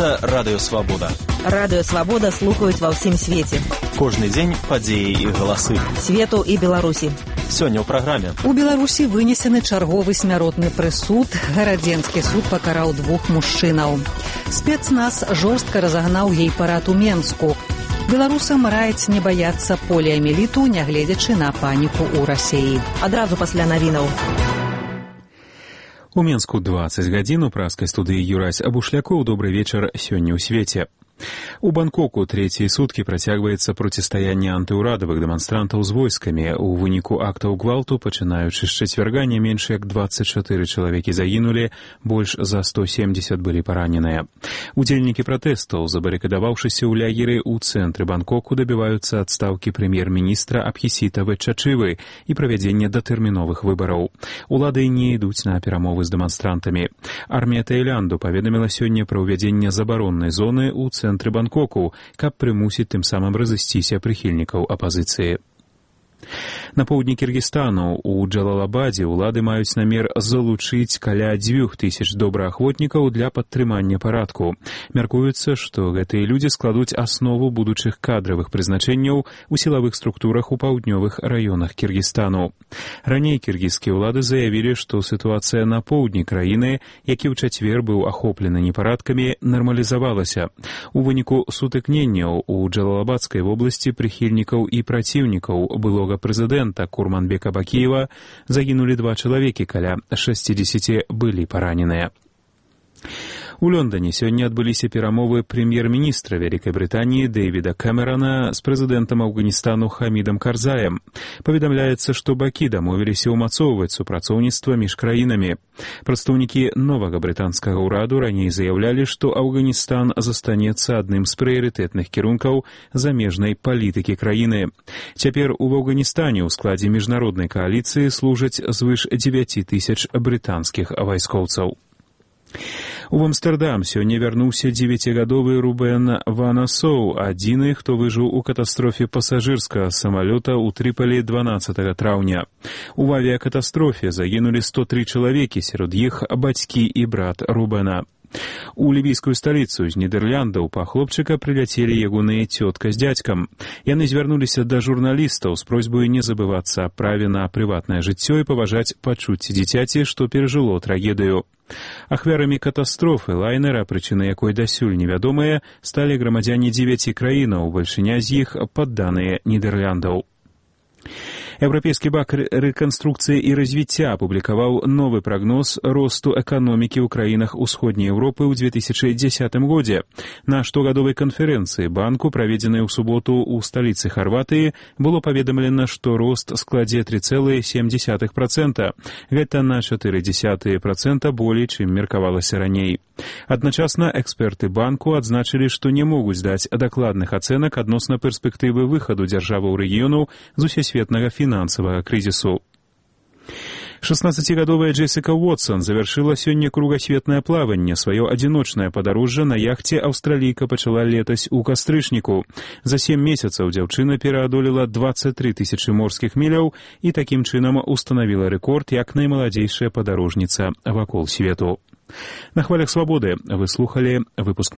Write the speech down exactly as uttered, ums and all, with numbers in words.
Гэта Радыё Свабода. Радыё Свабода слухаюць ва ўсім свеце. Кожны дзень падзеі і галасы. Свету і Беларусі. Сёння ў праграме. У Беларусі вынесены чарговы смяротны прысуд. Гарадзенскі суд пакараў двух мужчынаў. Спецназ жорстка разагнаў гей-парад у Менску. Беларусам раяць не баяцца поліамеліту, нягледзячы на паніку ў Расіі. Адразу пасля навінаў. У Менску двадцать гадзін у праскай студыі Юрась Абушлякоў. Добрый вечар сёння ў свеце. У Бангкоку трэція суткі працягваецца процістаянне антыўрадавых дэманстрантаў з войскамі. У выніку актаў гвалту, пачынаючы з чацвярга, не менш як двадцать чатыры чалавекі загінулі, больш за сто семьдесят былі параненыя. Удзельнікі пратэстаў, забарыкадаваўшыся ў лягеры ў цэнтры Бангкоку, дабіваюцца адстаўкі прэм'ер-міністра Абхісіта Вэтчачывы і правядзення датэрміновых выбараў. Улады не ідуць на перамовы з дэманстрантамі. Армія Таілянду паведаміла сёння пра ўвядзенне забароннай зоны ў цэнтры Бангкоку, каб прымусіць тым самым разысціся прыхільнікаў апазіцыі. На поўдні Кіргізстану у Джалалабадзе ўлады маюць намер залучыць каля дзвюх тысяч добраахвотнікаў для падтрымання парадку. Мяркуецца, што гэтыя людзі складуць аснову будучых кадравых прызначэнняў у сілавых структурах у паўднёвых раёнах Кіргізстану. Раней кіргізскія ўлады заявілі, што сітуацыя на поўдні краіны, які ў чацвер быў ахоплены непарадкамі, нармалізавалася. У выніку сутыкненняў у Джалалабадскай вобласці прыхільнікаў і праціўнікаў былога прэзідэнта Курманбека Бакіева загінулі два чалавекі, каля шэсцідзесяці былі параненыя. У Лондоне сёння адбыліся перамовы прэм'ер-міністра Вялікай Брытаніі Дэвіда Кэмерана з прэзідэнтам Афганістану Хамідам Карзаем. Паведамляецца, што бакі дамовіліся ўмацоўваць супрацоўніцтва між краінамі. Прадстаўнікі новага брытанскага ўраду раней заявлялі, што Афганістан застанецца адным з прыярытэтных кірункаў замежнай палітыкі краіны. Цяпер у Афганістане ў складзе міжнароднай кааліцыі служаць звыш дзевяць тысяч брытанскіх вайскоўцаў. У Амстэрдам сёння вярнуўся дзевяцігадовы Рубен Ванасоў, адзіны, хто выжыў у катастрофе пасажырскага самалёта ў Трыполі дванаццатага траўня. У авіякатастрофе загінулі сто тры чалавекі, сярод іх бацькі і брат Рубена. У лівійскую сталіцу з Нідэрляндаў па хлопчыка прыляцелі ягоныя цётка з дзядзькам. Яны звярнуліся да журналістаў з просьбай не забывацца аб праве на прыватнае жыццё і паважаць пачуцці дзіцяці, што перажыло трагедыю. Ахвярамі катастрофы лайнера, прычына якой дасюль невядомая, сталі грамадзяне дзевяці краінаў, бальшыня з іх падданыя Нідэрляндаў. Еўрапейскі банк рэканструкцыі і развіцця апублікаваў новы прагноз росту эканомікі ў краінах усходняй Еўропы ў две тысячы дзесятым годзе. На штогадовай канферэнцыі банку, праведзенай у суботу ў сталіцы Харватыі, было паведамлена, што рост складзе тры цэлых сем дзесятых працэнта. Гэта на чатыры дзесятых працэнта болей, чым меркавалася раней. Адначасна эксперты банку адзначылі, што не могуць даць дакладных ацэнак адносна перспектывы выхаду дзяржаваў рэгіёну з усесветнага фінансавага крызісу. шаснаццацігадовая Джессіка Уотсон завяршыла сёння кругасветнае плаванне. Сваё адзіночнае падарожжа на яхце аўстралійка пачала летась у кастрычніку. За сем месяцаў дзяўчына пераадолела дваццаць тры тысячы морскіх міляў і такім чынам устанавіла рэкорд як наймаладзейшая падарожніца вакол свету. На хвалях свабоды вы слухалі выпуск